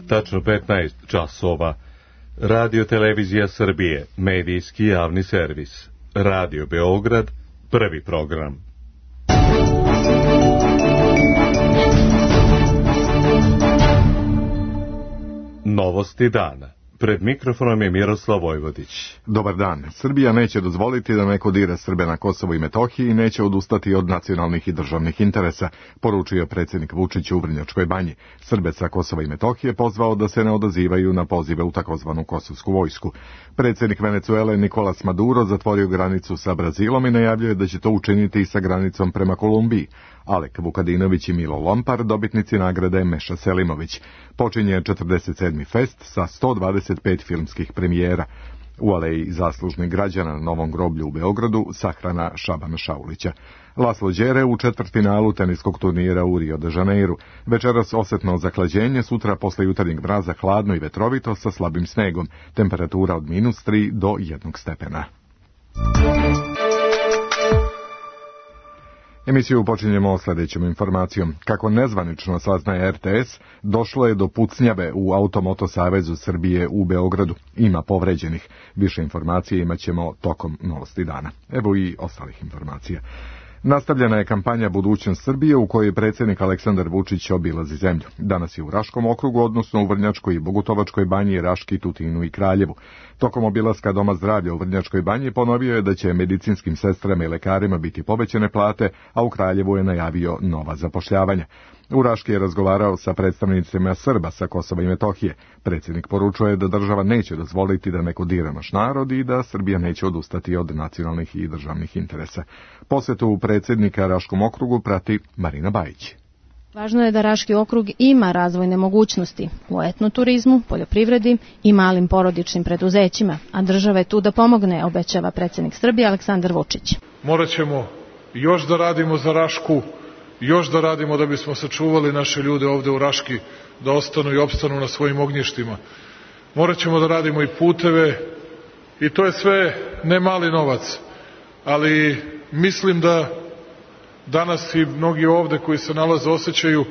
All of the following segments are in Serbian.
tačno 15 časova. Radio Televizija Srbije, medijski javni servis. Radio Beograd, prvi program. Novosti dana. Pred mikrofonom je Miroslav Vojvodić. Dobar dan. Srbija neće dozvoliti da neko dira Srbe na Kosovu i Metohiji i neće odustati od nacionalnih i državnih interesa, poručio predsjednik Vučić u Vrnjačkoj Banji. Srbe sa Kosova i Metohije pozvao da se ne odazivaju na pozive u takozvanu kosovsku vojsku. Predsjednik Venecuele Nicolas Maduro zatvorio granicu sa Brazilom i najavljuje da će to učiniti i sa granicom prema Kolumbiji. Alek Vukadinović i Milo Lompar, dobitnici nagrade Meša Selimović. Počinje 47. fest sa 125 filmskih premijera. U aleji zaslužnih građana na Novom groblju u Beogradu sahrana Šabana Šaulića. Laslo Đere u četvrtfinalu teniskog turnira u Rio de Janeiru. Večeras osjetno zahlađenje, sutra posle jutarnjeg mraza hladno i vetrovito sa slabim snegom. Temperatura od -3 do 1 stepena. Emisiju počinjemo sljedećom informacijom. Kako nezvanično saznaje RTS, došlo je do pucnjave u Automoto Savezu Srbije u Beogradu. Ima povređenih. Više informacije imat ćemo tokom novosti dana. Evo i ostalih informacija. Nastavljena je kampanja Budućnost Srbije u kojoj predsjednik Aleksandar Vučić obilazi zemlju. Danas je u Raškom okrugu, odnosno u Vrnjačkoj i Bogutovačkoj banji, Raški, Tutinu i Kraljevu. Tokom obilaska Doma zdravlja u Vrnjačkoj banji ponovio je da će medicinskim sestrama i lekarima biti povećane plate, a u Kraljevu je najavio nova zapošljavanja. U Raški je razgovarao sa predstavnicima Srba sa Kosova i Metohije. Predsjednik poručuje da država neće dozvoliti da neko dira naš narod i da Srbija neće odustati od nacionalnih i državnih interesa. Posjetu predsjednika Raškom okrugu prati Marina Bajić. Važno je da Raški okrug ima razvojne mogućnosti u etnoturizmu, poljoprivredi i malim porodičnim preduzećima, a država je tu da pomogne, obećava predsjednik Srbije Aleksandar Vučić. Morat ćemo još da radimo za Rašku, još da radimo da bismo sačuvali naše ljude ovde u Raški, da ostanu i opstanu na svojim ognjištima. Morat ćemo da radimo i puteve i to je sve ne mali novac, ali mislim da danas i mnogi ovde koji se nalaze osjećaju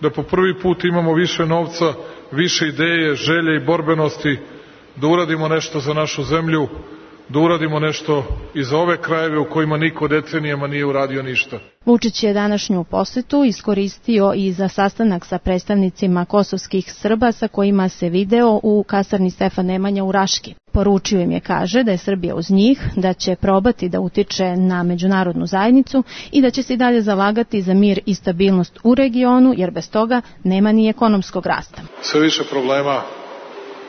da po prvi put imamo više novca, više ideje, želje i borbenosti da uradimo nešto za našu zemlju, da uradimo nešto i za ove krajeve u kojima niko decenijama nije uradio ništa. Vučić je današnju posetu iskoristio i za sastanak sa predstavnicima kosovskih Srba sa kojima se video u kasarni Stefan Nemanja u Raški. Poručio im je, kaže, da je Srbija uz njih, da će probati da utiče na međunarodnu zajednicu i da će se i dalje zalagati za mir i stabilnost u regionu, jer bez toga nema ni ekonomskog rasta. Sve više problema,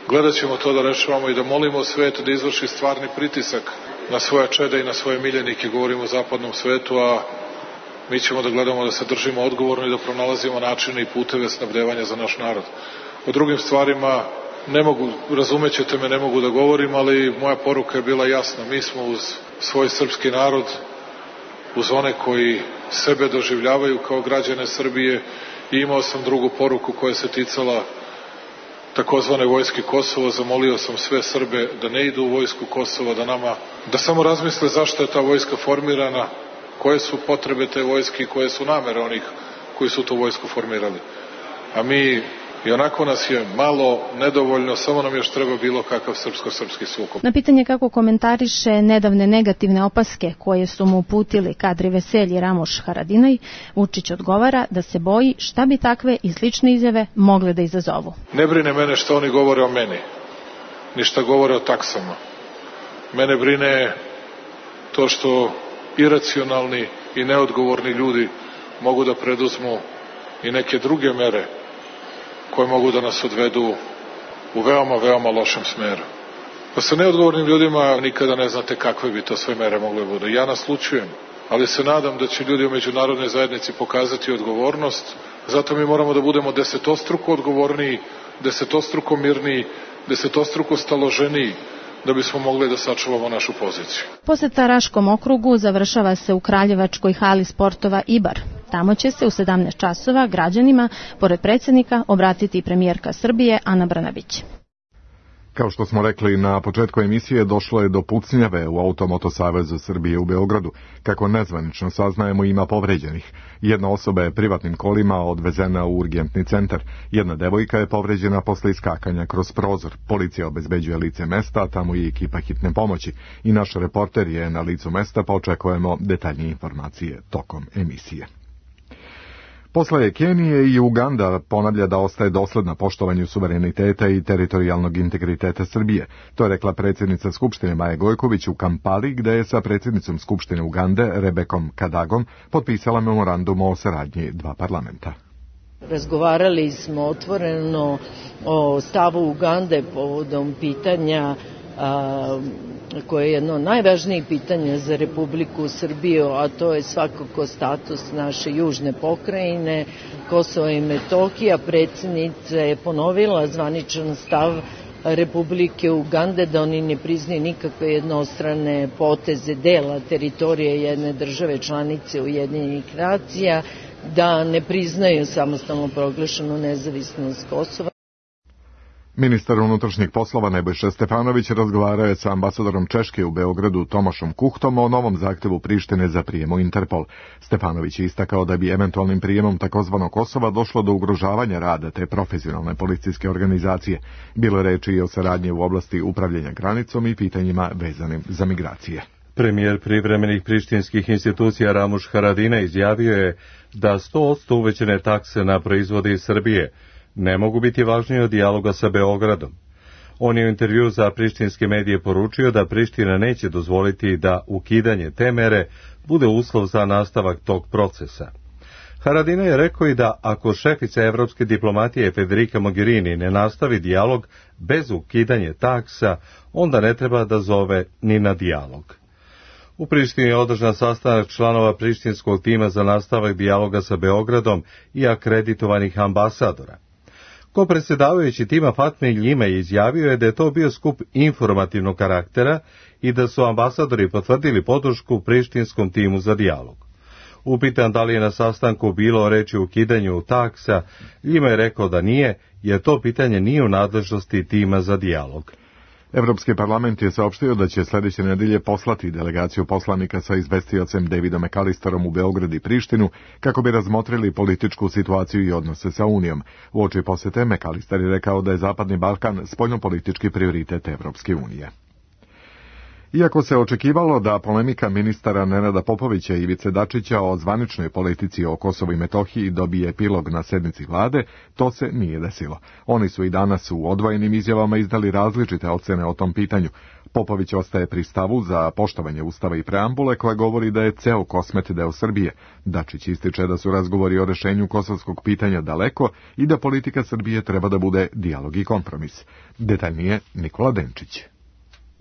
gledat ćemo to da rešavamo i da molimo svet da izvrši stvarni pritisak na svoja čeda i na svoje miljenike, govorimo o zapadnom svetu, a mi ćemo da gledamo da se držimo odgovorno i da pronalazimo načine i puteve snabdevanja za naš narod. O drugim stvarima ne mogu, razumećete me, ne mogu da govorim, ali moja poruka je bila jasna. Mi smo uz svoj srpski narod, uz one koji sebe doživljavaju kao građane Srbije, i imao sam drugu poruku koja se ticala takozvane vojske Kosova. Zamolio sam sve Srbe da ne idu u vojsku Kosova, da samo razmisle zašto je ta vojska formirana, koje su potrebe te vojske i koje su namere onih koji su tu vojsku formirali. A mi, i onako nas je malo, nedovoljno, samo nam još treba bilo kakav srpsko-srpski sukob. Na pitanje kako komentariše nedavne negativne opaske koje su mu uputili Kadri Veselji i Ramoš Haradinaj, Vučić odgovara da se boji šta bi takve i slične izjave mogle da izazovu. Ne brine mene što oni govore o meni, ni šta govore o taksama. Mene brine to što iracionalni i neodgovorni ljudi mogu da preduzmu i neke druge mere koje mogu da nas odvedu u veoma, veoma lošem smeru. Pa sa neodgovornim ljudima nikada ne znate kakve bi to sve mere mogle budu. Ja naslučujem, ali se nadam da će ljudi u međunarodnoj zajednici pokazati odgovornost. Zato mi moramo da budemo desetostruko odgovorniji, desetostruko mirniji, desetostruko staloženiji, da bismo mogli da sačuvamo našu poziciju. Poseta Raškom okrugu završava se u Kraljevačkoj hali sportova Ibar. Tamo će se u 17 časova građanima, pored predsjednika, obratiti premijerka Srbije Ana Brnabić. Kao što smo rekli na početku emisije, došlo je do pucnjave u Automoto Savezu Srbije u Beogradu. Kako nezvanično saznajemo, ima povređenih. Jedna osoba je privatnim kolima odvezena u urgentni centar. Jedna devojka je povređena posle iskakanja kroz prozor. Policija obezbeđuje lice mesta, a tamo i ekipa hitne pomoći. I naš reporter je na licu mesta, pa očekujemo detaljnije informacije tokom emisije. Posle Kenije i Uganda ponavlja da ostaje dosledna poštovanju suvereniteta i teritorijalnog integriteta Srbije. To je rekla predsjednica Skupštine Maja Gojković u Kampali, gde je sa predsjednicom Skupštine Ugande Rebekom Kadagom potpisala memorandum o saradnji dva parlamenta. Razgovarali smo otvoreno o stavu Ugande povodom pitanja koje je jedno od najvažnijih pitanja za Republiku Srbiju, a to je svakako status naše južne pokrajine, Kosova i Metohija. Predsjednica je ponovila zvaničan stav Republike Ugande da oni ne priznaju nikakve jednostrane poteze dela teritorije jedne države članice Ujedinjenih nacija, da ne priznaju samostalno proglašenu nezavisnost Kosova. Ministar unutrašnjih poslova Nebojša Stefanović razgovarao je sa ambasadorom Češke u Beogradu Tomašom Kuhtom o novom zahtevu Prištine za prijem u Interpol. Stefanović je istakao da bi eventualnim prijemom takozvanog Kosova došlo do ugrožavanja rada te profesionalne policijske organizacije. Bilo je reči i o saradnji u oblasti upravljanja granicom i pitanjima vezanim za migracije. Premijer privremenih prištinskih institucija Ramuš Haradinaj izjavio je da 100% uvećane takse na proizvode iz Srbije ne mogu biti važniji od dijaloga sa Beogradom. On je u intervju za prištinske medije poručio da Priština neće dozvoliti da ukidanje te mere bude uslov za nastavak tog procesa. Haradinaj je rekao i da ako šefica evropske diplomatije Federica Mogherini ne nastavi dijalog bez ukidanja taksa, onda ne treba da zove ni na dijalog. U Prištini je održan sastanak članova prištinskog tima za nastavak dijaloga sa Beogradom i akreditovanih ambasadora. Ko-predsjedavajući tima Fatme Ljime izjavio je da je to bio skup informativnog karaktera i da su ambasadori potvrdili podršku prištinskom timu za dijalog. Upitan da li je na sastanku bilo reči o ukidanju taksa, Ljima je rekao da nije, jer to pitanje nije u nadležnosti tima za dijalog. Evropski parlament je saopštio da će sljedeće nedelje poslati delegaciju poslanika sa izvestiocem Davidom McAllisterom u Beograd i Prištinu kako bi razmotrili političku situaciju i odnose sa Unijom. Uoči posete McAllister je rekao da je Zapadni Balkan spoljnopolitički prioritet Evropske unije. Iako se očekivalo da polemika ministara Nenada Popovića i Ivice Dačića o zvaničnoj politici o Kosovu i Metohiji dobije epilog na sednici vlade, to se nije desilo. Oni su i danas u odvojenim izjavama izdali različite ocene o tom pitanju. Popović ostaje pri stavu za poštovanje Ustava i preambule koja govori da je ceo Kosmet deo Srbije. Dačić ističe da su razgovori o rešenju kosovskog pitanja daleko i da politika Srbije treba da bude dijalog i kompromis. Detaljnije Nikola Denčić.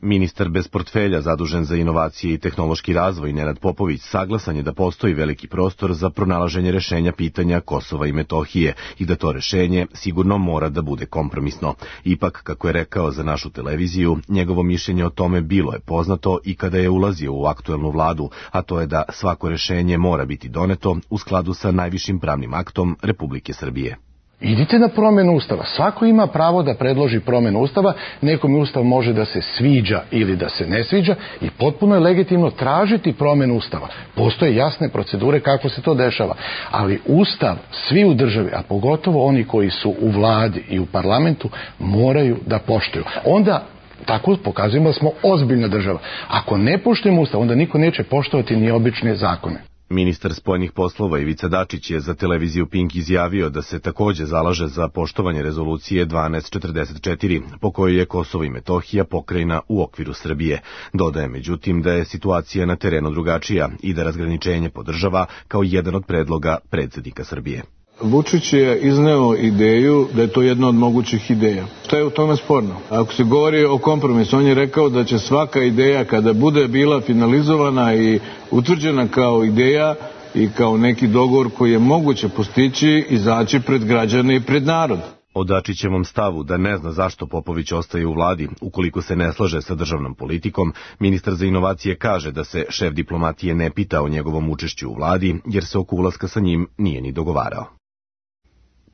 Ministar bez portfelja zadužen za inovacije i tehnološki razvoj Nenad Popović saglasan je da postoji veliki prostor za pronalaženje rešenja pitanja Kosova i Metohije i da to rešenje sigurno mora da bude kompromisno. Ipak, kako je rekao za našu televiziju, njegovo mišljenje o tome bilo je poznato i kada je ulazio u aktuelnu vladu, a to je da svako rešenje mora biti doneto u skladu sa najvišim pravnim aktom Republike Srbije. Idite na promjenu Ustava. Svako ima pravo da predloži promjenu Ustava. Nekom Ustav može da se sviđa ili da se ne sviđa i potpuno je legitimno tražiti promjenu Ustava. Postoje jasne procedure kako se to dešava. Ali Ustav, svi u državi, a pogotovo oni koji su u vladi i u parlamentu, moraju da poštuju. Onda tako pokazujemo da smo ozbiljna država. Ako ne poštujemo Ustav, onda niko neće poštovati ni obične zakone. Ministar spoljnih poslova Ivica Dačić je za televiziju Pink izjavio da se takođe zalaže za poštovanje rezolucije 1244, po kojoj je Kosovo i Metohija pokrajina u okviru Srbije. Dodaje međutim da je situacija na terenu drugačija i da razgraničenje podržava kao jedan od predloga predsjednika Srbije. Vučić je izneo ideju da je to jedna od mogućih ideja. Šta je u tome sporno? Ako se govori o kompromisu, on je rekao da će svaka ideja kada bude bila finalizovana i utvrđena kao ideja i kao neki dogovor koji je moguće postići, izaći pred građane i pred narod. O Dačićevom stavu da ne zna zašto Popović ostaje u vladi ukoliko se ne slaže sa državnom politikom, ministar za inovacije kaže da se šef diplomatije ne pita o njegovom učešću u vladi jer se oko ulaska sa njim nije ni dogovarao.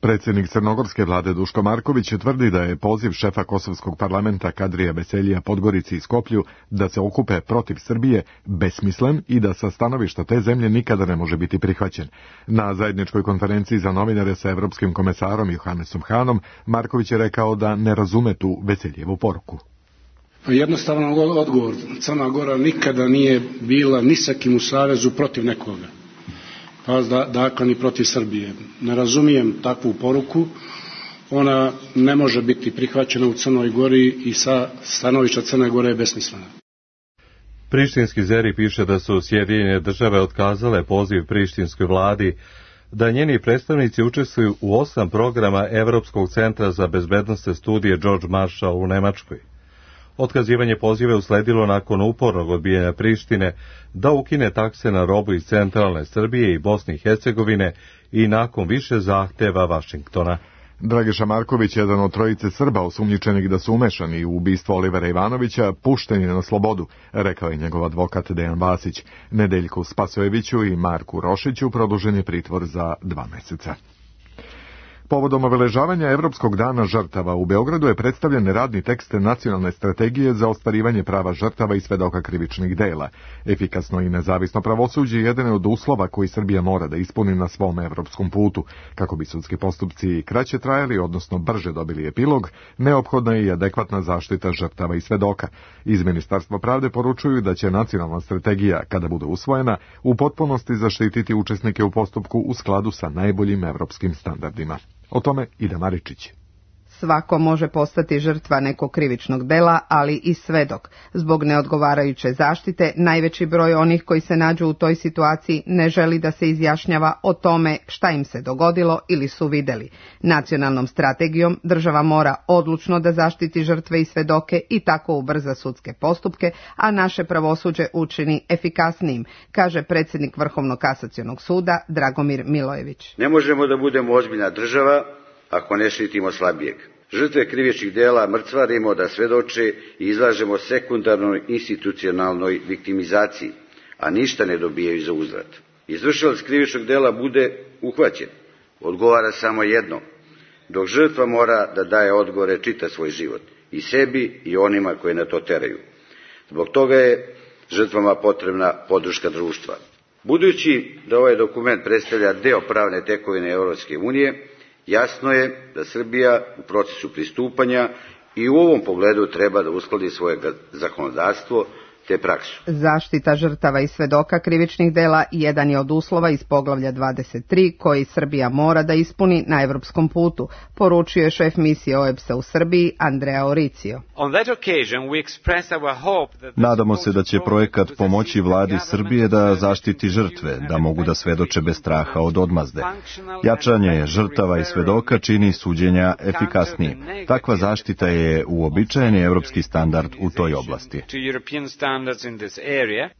Predsjednik crnogorske vlade Duško Marković tvrdi da je poziv šefa kosovskog parlamenta Kadrija Beseljija Podgorici i Skoplju da se okupe protiv Srbije besmislen i da sa stanovišta te zemlje nikada ne može biti prihvaćen. Na zajedničkoj konferenciji za novinare sa evropskim komesarom Johannesom Hanom Marković je rekao da ne razume tu Beseljevu poruku. Jednostavan odgovor. Crna Gora nikada nije bila ni sa kim u savezu protiv nekoga. Pa dakle ni protiv Srbije. Ne razumijem takvu poruku. Ona ne može biti prihvaćena u Crnoj Gori i sa stanovišta Crne Gore je besmislena. Prištinski Zeri piše da su Sjedinjene Države otkazale poziv prištinskoj vladi da njeni predstavnici učestvuju u 8 programa Evropskog centra za bezbednosne studije George Marshall u Nemačkoj. Otkazivanje poziva je usledilo nakon upornog odbijanja Prištine da ukine takse na robu iz centralne Srbije i Bosne i Hercegovine i nakon više zahteva Vašingtona. Dragiša Marković, jedan od trojice Srba osumnjičenih da su umešani u ubistvo Olivera Ivanovića, pušten je na slobodu, rekao je njegov advokat Dejan Vasić. Nedeljku Spasojeviću i Marku Rošiću produžen je pritvor za 2 meseca. Povodom obeležavanja Evropskog dana žrtava u Beogradu je predstavljen radni tekst nacionalne strategije za ostvarivanje prava žrtava i svedoka krivičnih dela. Efikasno i nezavisno pravosuđe je jedan od uslova koji Srbija mora da ispuni na svom evropskom putu. Kako bi sudski postupci kraće trajali, odnosno brže dobili epilog, neophodna je i adekvatna zaštita žrtava i svedoka. Iz Ministarstva pravde poručuju da će nacionalna strategija, kada bude usvojena, u potpunosti zaštititi učesnike u postupku u skladu sa najboljim evropskim standardima. O tome Ida Maričić. Svako može postati žrtva nekog krivičnog dela, ali i svedok. Zbog neodgovarajuće zaštite, najveći broj onih koji se nađu u toj situaciji ne želi da se izjašnjava o tome šta im se dogodilo ili su videli. Nacionalnom strategijom država mora odlučno da zaštiti žrtve i svedoke i tako ubrza sudske postupke, a naše pravosuđe učini efikasnijim, kaže predsjednik Vrhovnog kasacionog suda Dragomir Milojević. Ne možemo da budemo ozbiljna država ako ne štitimo slabijeg. Žrtve krivičnih dela mrcvarimo da svedoče i izlažemo sekundarnoj institucionalnoj viktimizaciji, a ništa ne dobijaju za uzvrat. Izvršilac krivičnog dela bude uhvaćen, odgovara samo jedno, dok žrtva mora da daje odgovore čitav svoj život, i sebi i onima koji na to teraju. Zbog toga je žrtvama potrebna podrška društva. Budući da ovaj dokument predstavlja deo pravne tekovine Evropske unije, jasno je da Srbija u procesu pristupanja i u ovom pogledu treba da uskladi svoje zakonodavstvo te praksu. Zaštita žrtava i svedoka krivičnih dela jedan je od uslova iz poglavlja 23 koji Srbija mora da ispuni na evropskom putu, poručio je šef misije OEBS-a u Srbiji Andrea Oricio. Nadamo se da će projekat pomoći vladi Srbije da zaštiti žrtve, da mogu da svedoče bez straha od odmazde. Jačanje žrtava i svedoka čini suđenja efikasnijim. Takva zaštita je uobičajeni evropski standard u toj oblasti.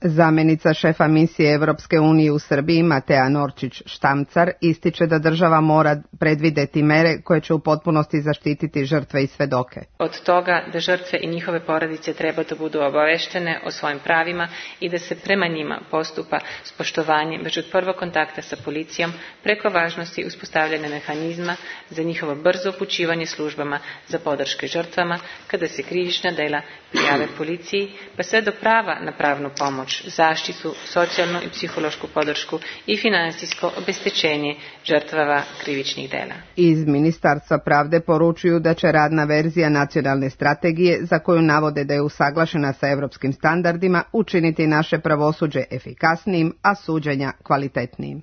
Zamenica šefa misije Evropske unije u Srbiji Matea Norčić-Štamcar ističe da država mora predvideti mere koje će u potpunosti zaštititi žrtve i svedoke. Od toga da žrtve i njihove porodice treba da budu obaveštene o svojim pravima i da se prema njima postupa s poštovanjem već od prvog kontakta sa policijom preko važnosti uspostavljanja mehanizma za njihovo brzo upućivanje službama za podrške žrtvama kada se krivična dela prijave policiji, pa sve do prava na pravnu pomoć, zaštitu, socijalnu i psihološku podršku i finansijsko obeštećenje žrtvava krivičnih dela. Iz Ministarstva pravde poručuju da će radna verzija nacionalne strategije, za koju navode da je usaglašena sa evropskim standardima, učiniti naše pravosuđe efikasnijim, a suđenja kvalitetnijim.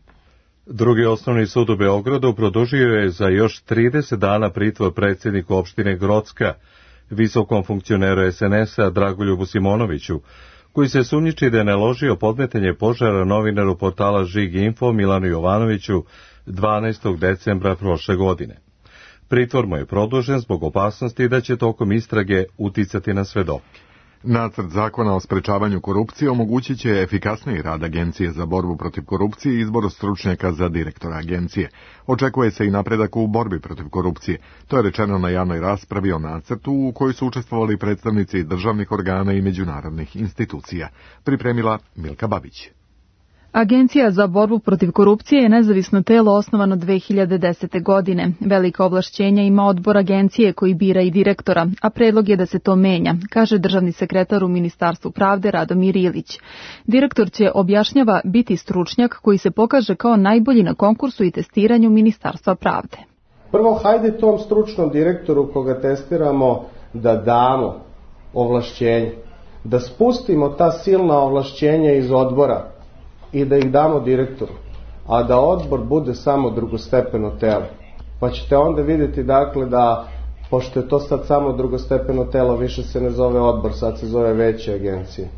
Drugi osnovni sud u Beogradu produžio je za još 30 dana pritvor predsjedniku opštine Grocka, visokom funkcioneru SNS-a Dragoljubu Simonoviću, koji se sumnjiči da je naložio podmetanje požara novinaru portala Žig Info Milanu Jovanoviću 12. decembra prošle godine. Pritvor mu je produžen zbog opasnosti da će tokom istrage uticati na svedoke. Nacrt zakona o sprečavanju korupcije omogućit će efikasniji rad Agencije za borbu protiv korupcije i izbor stručnjaka za direktora agencije. Očekuje se i napredak u borbi protiv korupcije. To je rečeno na javnoj raspravi o nacrtu u kojoj su učestvovali predstavnici državnih organa i međunarodnih institucija. Pripremila Milka Babić. Agencija za borbu protiv korupcije je nezavisno telo osnovano 2010. godine. Velika ovlašćenja ima odbor agencije koji bira i direktora, a predlog je da se to menja, kaže državni sekretar u Ministarstvu pravde Radomir Ilić. Direktor će, objašnjava, biti stručnjak koji se pokaže kao najbolji na konkursu i testiranju Ministarstva pravde. Prvo, hajde tom stručnom direktoru koga testiramo da damo ovlašćenje, da spustimo ta silna ovlašćenja iz odbora i da ih damo direktoru, a da odbor bude samo drugostepeno telo. Pa ćete onda vidjeti dakle da, pošto je to sad samo drugostepeno telo, više se ne zove odbor, sad se zove veće agencije.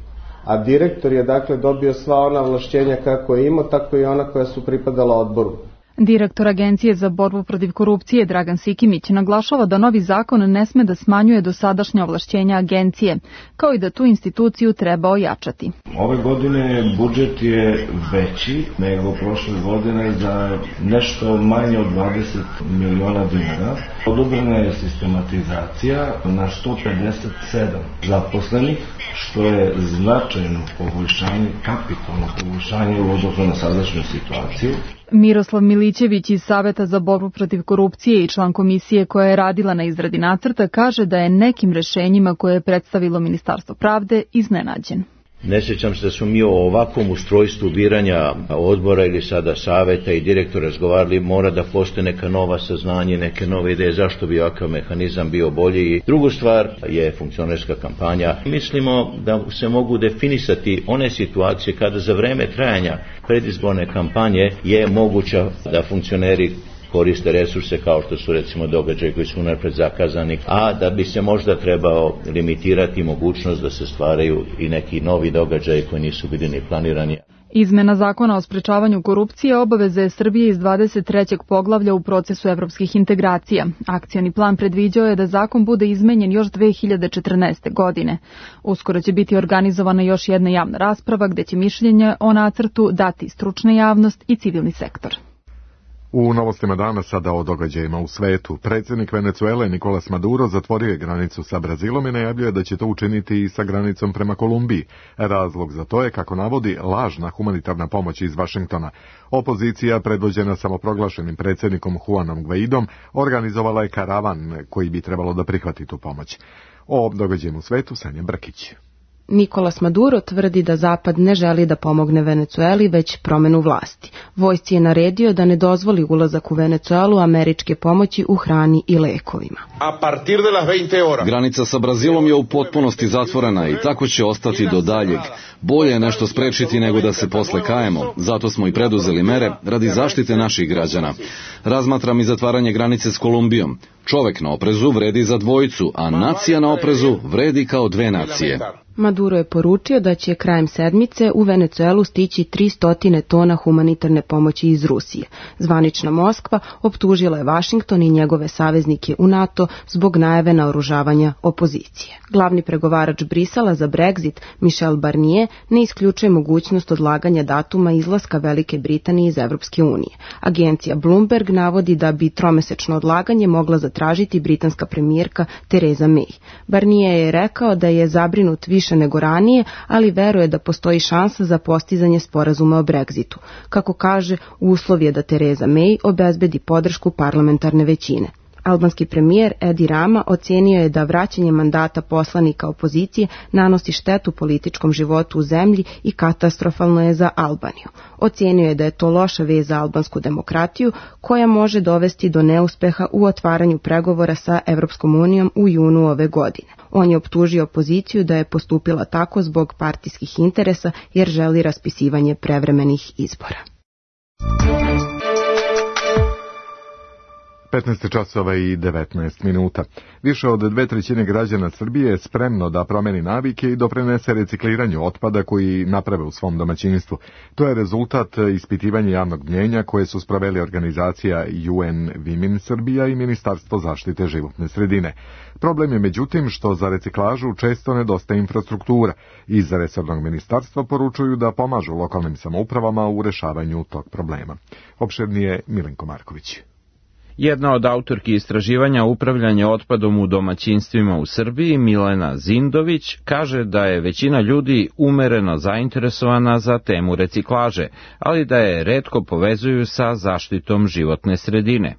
A direktor je dakle dobio sva ona ovlašćenja kako je imao, tako i ona koja su pripadala odboru. Direktor Agencije za borbu protiv korupcije Dragan Sikimić naglašava da novi zakon ne sme da smanjuje dosadašnja ovlašćenja agencije, kao i da tu instituciju treba ojačati. Ove godine budžet je veći nego prošle godine za nešto manje od 20 miliona dinara. Odobrena je sistematizacija na 157 zaposlenih, što je značajno poboljšanje, kapitalno poboljšanje u odnosu na sadašnju situaciju. Miroslav Milićević iz Saveta za borbu protiv korupcije i član komisije koja je radila na izradi nacrta kaže da je nekim rešenjima koje je predstavilo Ministarstvo pravde iznenađen. Ne sjećam se da smo mi o ovakvom ustrojstvu biranja odbora ili sada saveta i direktora razgovarali, mora da postoje neka nova saznanje, neke nove ideje, zašto bi ovakav mehanizam bio bolji. I drugu stvar je funkcionerska kampanja. Mislimo da se mogu definisati one situacije kada za vreme trajanja predizborne kampanje je moguća da funkcioneri koriste resurse kao što su recimo događaji koji su unapred zakazani, a da bi se možda trebao limitirati mogućnost da se stvaraju i neki novi događaji koji nisu bili ni planirani. Izmena zakona o sprečavanju korupcije obaveze je Srbije iz 23. poglavlja u procesu evropskih integracija. Akcioni plan predviđao je da zakon bude izmenjen još 2014. godine. Uskoro će biti organizovana još jedna javna rasprava gde će mišljenje o nacrtu dati stručna javnost i civilni sektor. U novostima dana sada o događajima u svetu. Predsjednik Venecuele Nicolas Maduro zatvorio je granicu sa Brazilom i najavljuje da će to učiniti i sa granicom prema Kolumbiji. Razlog za to je, kako navodi, lažna humanitarna pomoć iz Vašingtona. Opozicija, predvođena samoproglašenim predsjednikom Juanom Guaidom, organizovala je karavan koji bi trebalo da prihvati tu pomoć. O događajima u svetu Sanja Brkić. Nicolas Maduro tvrdi da Zapad ne želi da pomogne Venecueli, već promenu vlasti. Vojsci je naredio da ne dozvoli ulazak u Venecuelu američke pomoći u hrani i lekovima. Granica sa Brazilom je u potpunosti zatvorena i tako će ostati do daljeg. Bolje je nešto sprečiti nego da se posle kajemo. Zato smo i preduzeli mere radi zaštite naših građana. Razmatram i zatvaranje granice s Kolumbijom. Čovek na oprezu vredi za dvojicu, a nacija na oprezu vredi kao dve nacije. Maduro je poručio da će krajem sedmice u Venecuelu stići 300 tona humanitarne pomoći iz Rusije. Zvanična Moskva optužila je Vašington i njegove saveznike u NATO zbog najave naoružavanja opozicije. Glavni pregovarač Brisela za Brexit, Michel Barnier, ne isključuje mogućnost odlaganja datuma izlaska Velike Britanije iz Evropske unije. Agencija Bloomberg navodi da bi tromesečno odlaganje mogla zatražiti britanska premijerka Theresa May. Barnier je rekao da je zabrinut više nego ranije, ali veruje da postoji šansa za postizanje sporazuma o Brexitu. Kako kaže, uslov je da Theresa May obezbedi podršku parlamentarne većine. Albanski premijer Edi Rama ocenio je da vraćanje mandata poslanika opozicije nanosi štetu političkom životu u zemlji i katastrofalno je za Albaniju. Ocenio je da je to loša vez za albansku demokratiju koja može dovesti do neuspeha u otvaranju pregovora sa Evropskom unijom u junu ove godine. On je optužio opoziciju da je postupila tako zbog partijskih interesa jer želi raspisivanje prevremenih izbora. 15 časova i 19 minuta. Više od 2/3 građana Srbije je spremno da promeni navike i doprinese recikliranju otpada koji naprave u svom domaćinstvu. To je rezultat ispitivanja javnog mnjenja koje su sproveli organizacija UN Women Srbija i Ministarstvo zaštite životne sredine. Problem je međutim što za reciklažu često nedostaje infrastruktura. Iz resornog ministarstva poručuju da pomažu lokalnim samoupravama u rešavanju tog problema. Opširnije Milenko Marković. Jedna od autorki istraživanja upravljanje otpadom u domaćinstvima u Srbiji, Milena Zindović, kaže da je većina ljudi umereno zainteresovana za temu reciklaže, ali da je retko povezuju sa zaštitom životne sredine.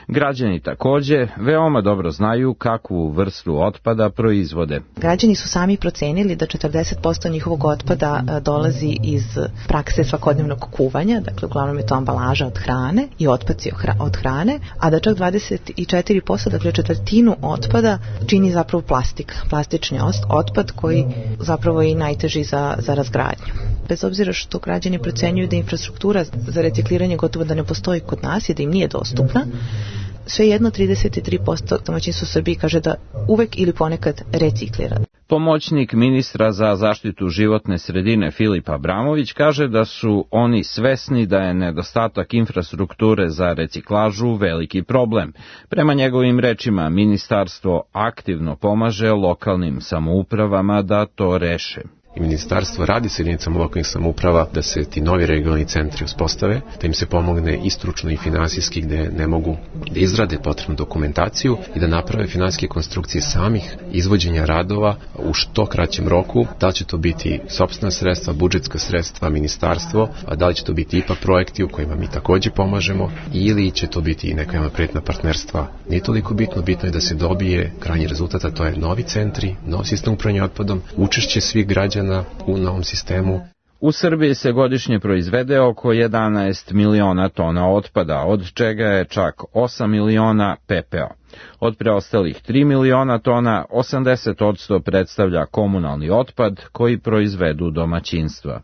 Građani takođe veoma dobro znaju kakvu vrstu otpada proizvode. Građani su sami procenili da 40% njihovog otpada dolazi iz prakse svakodnevnog kuvanja, dakle uglavnom je to ambalaža od hrane i otpaci od hrane, a da čak 24%, dakle četvrtinu otpada čini zapravo plastični otpad koji zapravo je i najteži za razgradnju. Bez obzira što građani procenjuju da infrastruktura za recikliranje gotovo da ne postoji kod nas i da im nije dostupna, svejedno 33% domaćinstva u Srbiji kaže da uvek ili ponekad reciklira. Pomoćnik ministra za zaštitu životne sredine Filip Abramović kaže da su oni svesni da je nedostatak infrastrukture za reciklažu veliki problem. Prema njegovim rečima, ministarstvo aktivno pomaže lokalnim samoupravama da to reše. I ministarstvo radi sa jedinicama lokalnih samouprava da se ti novi regionalni centri uspostave, da im se pomogne i stručno i finansijski gde ne mogu da izrade potrebnu dokumentaciju i da naprave finansijske konstrukcije samih izvođenja radova u što kraćem roku. Da li će to biti sopstvena sredstva, budžetska sredstva, ministarstvo, a da li će to biti IPA projekti u kojima mi takođe pomažemo ili će to biti neka javno-privatna partnerstva. Nije toliko bitno, bitno je da se dobije krajnji rezultat, a to je novi centri, nov sistem upravljanja otpadom, učešće svih građana u novom sistemu. U Srbiji se godišnje proizvede oko 11 miliona tona otpada, od čega je čak 8 miliona pepeo. Od preostalih 3 miliona tona, 80% predstavlja komunalni otpad koji proizvedu domaćinstva.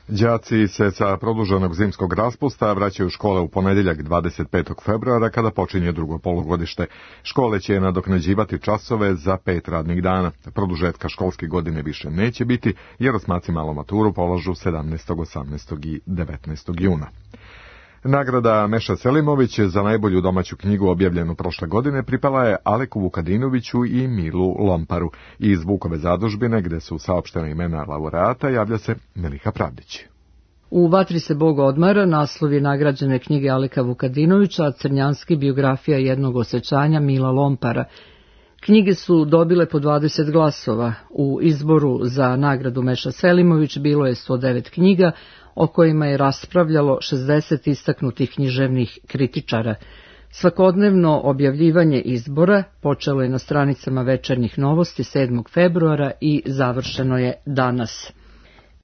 Đaci se sa produženog zimskog raspusta vraćaju u škole u ponedeljak 25. februara kada počinje drugo polugodište. Škole će nadoknađivati časove za 5 radnih dana. Produžetka školske godine više neće biti jer osmaci malu maturu polažu 17., 18. i 19. juna. Nagrada Meša Selimović za najbolju domaću knjigu objavljenu prošle godine pripala je Aleku Vukadinoviću i Milu Lomparu. Iz Vukove zadužbine, gde su saopštena imena laureata, javlja se Miliha Pravdić. U Vatri se Bog odmara naslov je nagrađene knjige Aleka Vukadinovića, a Crnjanski biografija jednog osjećanja Mila Lompara. Knjige su dobile po 20 glasova. U izboru za nagradu Meša Selimović bilo je 109 knjiga, o kojima je raspravljalo 60 istaknutih književnih kritičara. Svakodnevno objavljivanje izbora počelo je na stranicama Večernjih novosti 7. februara i završeno je danas.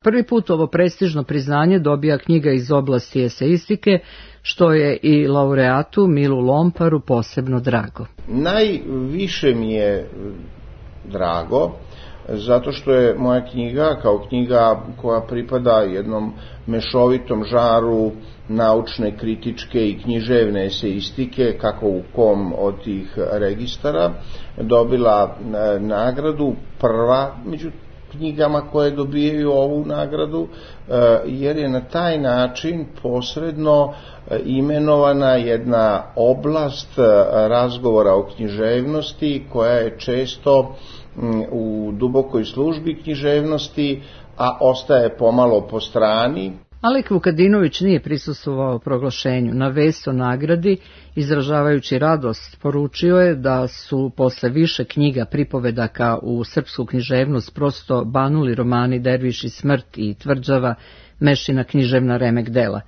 Prvi put ovo prestižno priznanje dobija knjiga iz oblasti eseistike, što je i laureatu Milu Lomparu posebno drago. Najviše mi je drago zato što je moja knjiga kao knjiga koja pripada jednom mešovitom žaru naučne, kritičke i književne eseistike, kako u kom od tih registara, dobila nagradu, prva među knjigama koje dobijaju ovu nagradu, jer je na taj način posredno imenovana jedna oblast razgovora o književnosti koja je često u dubokoj službi književnosti, a ostaje pomalo po strani. Alek Vukadinović nije prisustvovao proglašenju. Na vest o nagradi, izražavajući radost, poručio je da su posle više knjiga pripovedaka u srpsku književnost prosto banuli romani Derviš i smrt i Tvrđava, Mešina književna remek dela.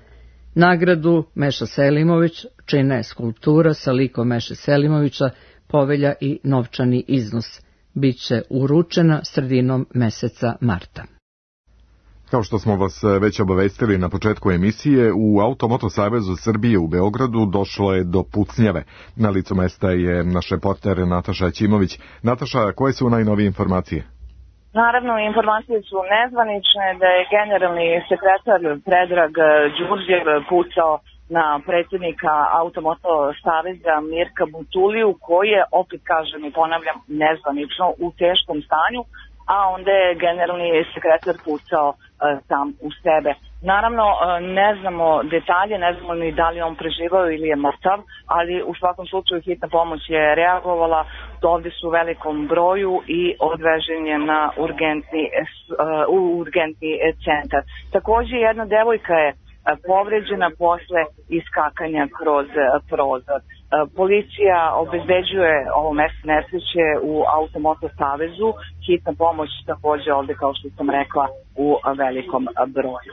Nagradu Meša Selimović čine skulptura sa likom Meše Selimovića, povelja i novčani iznos. Biće uručena sredinom meseca marta. Kao što smo vas već obavestili na početku emisije, u Automoto Savezu Srbije u Beogradu došlo je do pucnjave. Na licu mesta je naš reporter Nataša Ćimović. Nataša, koje su najnovije informacije? Naravno, informacije su nezvanične da je generalni sekretar Predrag Đurđev pucao na predsjednika Automoto Saveza Mirka Butuliju, koji je, opet kažem i ponavljam, nezvanično u teškom stanju, a onda je generalni sekretar pucao sam u sebe. Naravno, ne znamo detalje, ne znamo ni da li on preživao ili je mrtav, ali u svakom slučaju hitna pomoć je reagovala, ovdje su u velikom broju i odvežen je na urgentni centar. Također jedna devojka je povređena posle iskakanja kroz prozor. Policija obezbeđuje ovo mesto nesreće u Automoto savezu, hitna pomoć takođe ovde, kao što sam rekla, u velikom broju.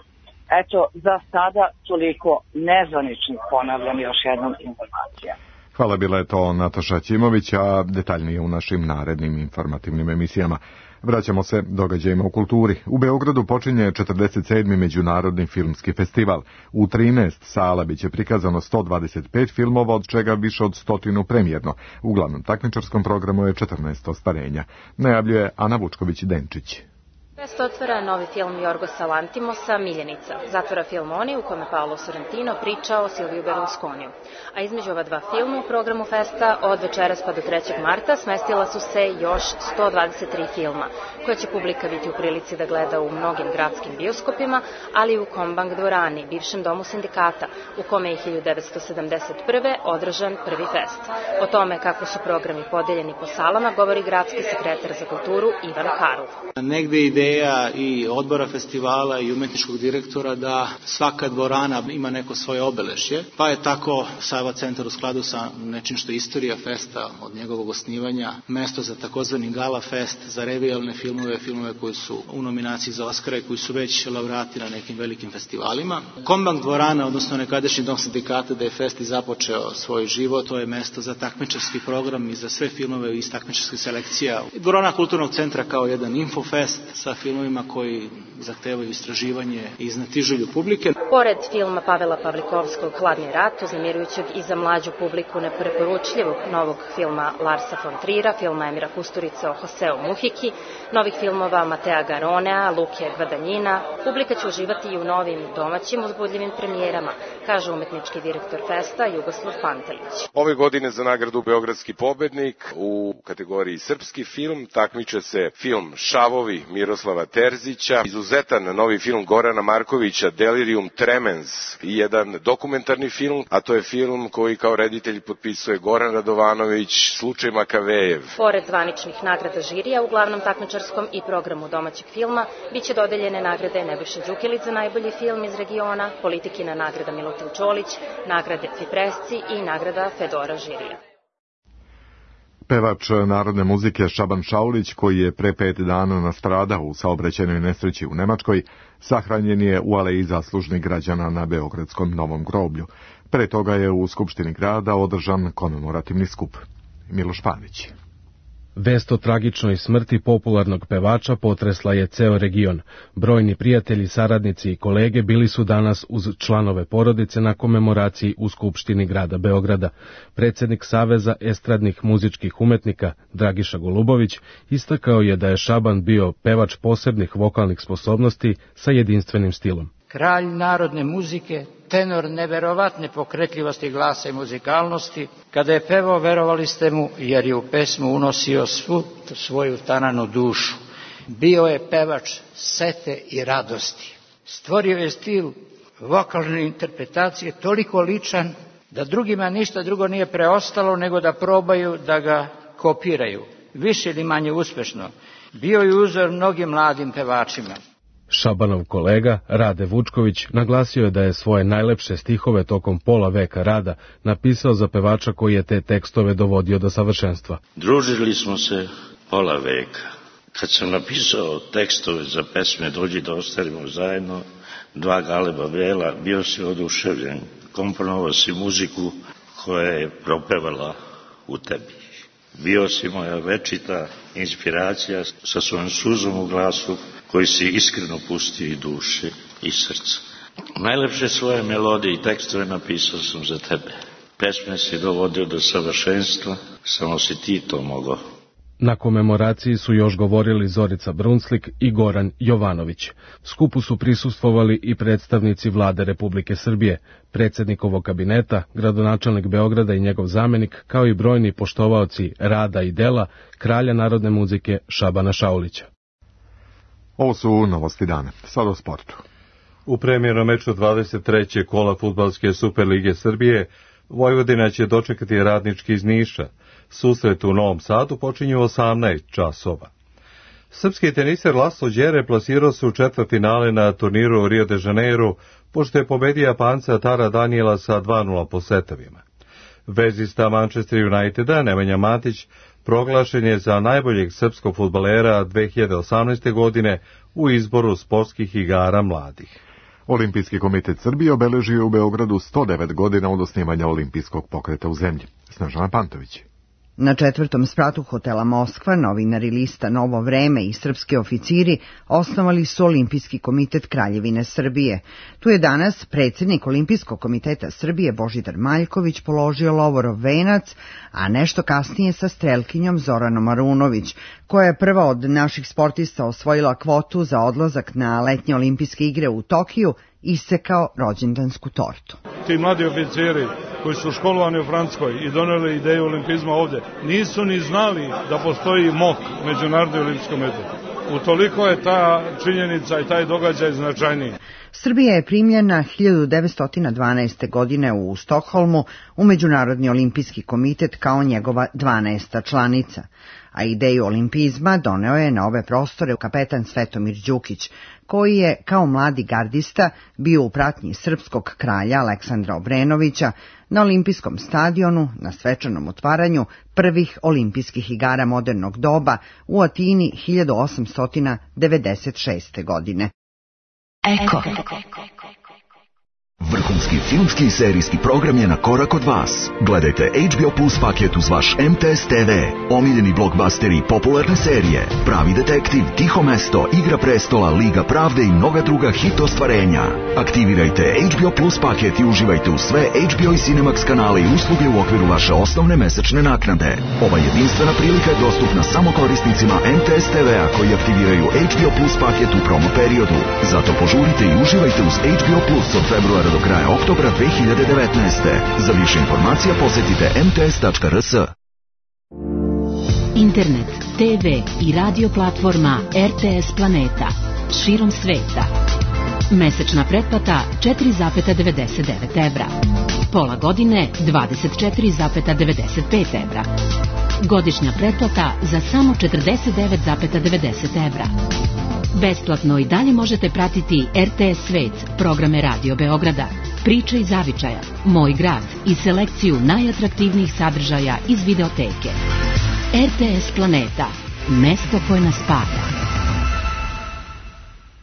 Eto, za sada toliko nezvaničnih, ponavljam još jednom, informacija. Hvala, bila je to Nataša Ćimović, a detaljnije u našim narednim informativnim emisijama. Vraćamo se događajima u kulturi. U Beogradu počinje 47. Međunarodni filmski festival. U 13 sala biće prikazano 125 filmova, od čega više od 100 premijerno. U glavnom takmičarskom programu je 14 ostvarenja. Najavljuje Ana Vučković-Denčić. Fest otvara novi film Jorgosa Lantimosa, Miljenica. Zatvara film Oni, u kome Paolo Sorrentino priča o Silviju Berlusconiju. A između ova dva filma u programu festa od večeras pa do 3. marta smestila su se još 123 filma, koje će publika biti u prilici da gleda u mnogim gradskim bioskopima, ali i u Kombank dvorani, bivšem domu sindikata, u kome je 1971. održan prvi fest. O tome kako su programi podeljeni po salama govori gradski sekretar za kulturu Ivan Karov. Negde ideja i odbora festivala i umetničkog direktora da svaka dvorana ima neko svoje obeležje, pa je tako Sava centar u skladu sa nečim što je istorija festa od njegovog osnivanja, mesto za takozvani gala fest, za revijalne filmove, filmove koji su u nominaciji za Oscara i koji su već laureati na nekim velikim festivalima. Kombank dvorana, odnosno nekadašnji dom sindikata, da je fest i započeo svoj život, to je mesto za takmičarski program i za sve filmove iz takmičarskih selekcija. Dvorana kulturnog centra kao jedan infofest sa filmovima koji zahtevaju istraživanje i iznatiželju publike. Pored filma Pavela Pavlikovskog Hladni rat, uznemirujućeg i za mlađu publiku nepreporučljivog novog filma Larsa von Trira, filma Emira Kusturice o Joseu Muhiki, novih filmova Matea Garonea, Luke Gvadanjina, publika će uživati i u novim domaćim uzbudljivim premijerama, kaže umetnički direktor festa Jugoslav Pantelić. Ove godine za nagradu Beogradski pobednik u kategoriji srpski film takmiče se film Šavovi Miroslava Terzića, izuzetan novi film Gorana Markovića Delirium Tremens i jedan dokumentarni film, a to je film koji kao reditelj potpisuje Goran Radovanović, Slučaj Makavejev. Pored zvaničnih nagrada žirija u glavnom takmičarskom i programu domaćeg filma biće dodeljene nagrade Nebojša Đukilić za najbolji film iz regiona, Politikina nagrada Milutin Čolić, nagrade Cipresci i nagrada Fedora žirija. Pevač narodne muzike Šaban Šaulić, koji je pre 5 dana nastradao u saobraćajnoj nesreći u Nemačkoj, sahranjen je u aleji zaslužnih građana na Beogradskom Novom groblju. Pre toga je u Skupštini grada održan komemorativni skup. Miloš Pavić. Vest o tragičnoj smrti popularnog pevača potresla je ceo region. Brojni prijatelji, saradnici i kolege bili su danas uz članove porodice na komemoraciji u Skupštini grada Beograda. Predsednik Saveza estradnih muzičkih umetnika Dragiša Golubović istakao je da je Šaban bio pevač posebnih vokalnih sposobnosti sa jedinstvenim stilom. Kralj narodne muzike, tenor neverovatne pokretljivosti glasa i muzikalnosti, kada je pevao verovali ste mu jer je u pesmu unosio svu svoju tananu dušu. Bio je pevač sete i radosti. Stvorio je stil vokalne interpretacije toliko ličan da drugima ništa drugo nije preostalo nego da probaju da ga kopiraju, više ili manje uspešno. Bio je uzor mnogim mladim pevačima. Šabanov kolega Rade Vučković naglasio je da je svoje najlepše stihove tokom pola veka rada napisao za pevača koji je te tekstove dovodio do savršenstva. Družili smo se pola veka. Kad sam napisao tekstove za pesme Dođi da ostavimo zajedno, Dva galeba vela, bio si oduševljen. Komponovao si muziku koja je propevala u tebi. Bio si moja večita inspiracija sa svojom suzom u glasu koji si iskreno pustio i duše i srca. Najlepše svoje melodije i tekstove napisao sam za tebe. Pesme si dovodio do savršenstva, samo si ti to mogao. Na komemoraciji su još govorili Zorica Brunslik i Goran Jovanović. Skupu su prisustvovali i predstavnici Vlade Republike Srbije, predsjednikovog kabineta, gradonačelnik Beograda i njegov zamenik, kao i brojni poštovaoci rada i dela kralja narodne muzike Šabana Šaulića. Ovo su novosti dana. Sad o sportu. U premijernom meču 23. kola Fudbalske Superlige Srbije Vojvodina će dočekati Radnički iz Niša. Susret u Novom Sadu počinje u 18 časova. Srpski teniser Laslo Đere plasirao se u četvrtfinale na turniru u Rio de Janeiro pošto je pobedio Japanca Tara Daniela sa 2:0 po setovima. Vezista Manchester Uniteda Nemanja Matić proglašen je za najboljeg srpskog fudbalera 2018. godine u izboru sportskih igara mladih. Olimpijski komitet Srbije obeležio u Beogradu 109 godina od osnivanja olimpijskog pokreta u zemlji. Snežana Pantović. Na 4. spratu hotela Moskva novinari lista Novo vreme i srpski oficiri osnovali su Olimpijski komitet Kraljevine Srbije. Tu je danas predsjednik Olimpijskog komiteta Srbije Božidar Maljković položio lovorov venac, a nešto kasnije sa strelkinjom Zoranom Arunović, koja je prva od naših sportista osvojila kvotu za odlazak na letnje olimpijske igre u Tokiju, isekao rođendansku tortu. Ti mladi oficiri koji su školovani u Francuskoj i doneli ideju olimpizma ovdje, nisu ni znali da postoji MOK, Međunarodni olimpijski komitet. Utoliko je ta činjenica i taj događaj značajniji. Srbija je primljena 1912. godine u Stokholmu u Međunarodni olimpijski komitet kao njegova 12. članica, a ideju olimpizma doneo je na ove prostore kapetan Svetomir Đukić, koji je kao mladi gardista bio u pratnji srpskog kralja Aleksandra Obrenovića na olimpijskom stadionu na svečanom otvaranju prvih olimpijskih igara modernog doba u Atini 1896. godine. Eko. Vrhunski filmski i serijski program je na korak od vas. Gledajte HBO Plus paket uz vaš MTS TV, omiljeni blockbusteri, popularne serije, Pravi detektiv, Tiho mesto, Igra prestola, Liga pravde i mnoga druga hit ostvarenja. Aktivirajte HBO Plus paket i uživajte u sve HBO i Cinemax kanale i usluge u okviru vaše osnovne mesečne naknade. Ova jedinstvena prilika je dostupna samo korisnicima MTS TV-a koji aktiviraju HBO Plus paket u promo periodu. Zato požurite i uživajte uz HBO Plus od februara do kraja oktobra 2019. Za više informacija posjetite mts.rs. Internet, TV i radio platforma RTS Planeta širom sveta. Mesečna pretplata 4,99 evra. Pola godine 24,95 evra. Godišnja pretplata za samo 49,90 evra. Besplatno i dalje možete pratiti RTS Svet, programe Radio Beograda, Priče iz zavičaja, Moj grad i selekciju najatraktivnijih sadržaja iz videoteke. RTS Planeta, mesto koje nas spaja.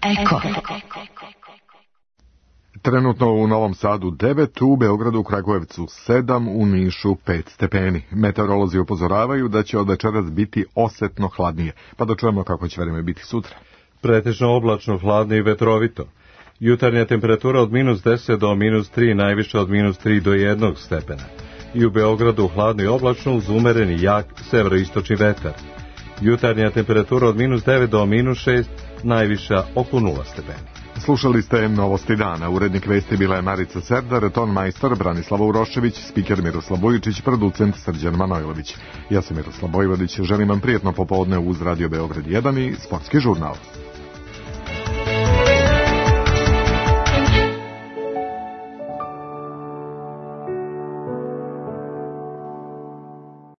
Eko. Trenutno u Novom Sadu 9, u Beogradu, Kragujevcu 7, u Nišu 5 stepeni. Meteorolozi upozoravaju da će od večeras biti osetno hladnije, pa da čujemo kako će vreme biti sutra. Pretežno oblačno, hladno i vetrovito. Jutarnja temperatura od -10 do -3, najviše od -3 do 1 stepena. I u Beogradu hladno i oblačno uz umereni jak severoistočni vetar. Jutarnja temperatura od -9 do -6, najviša oko 0 stepeni. Slušali ste Novosti dana. Urednik vesti bila je Marica Serdar, ton majstor Branislava Urošević, spiker Miroslav Bojičić, producent Srđan Manojlović. Ja sam Miroslav Bojvodić, želim vam prijetno popodne uz Radio Beograd 1 i Sportski žurnal.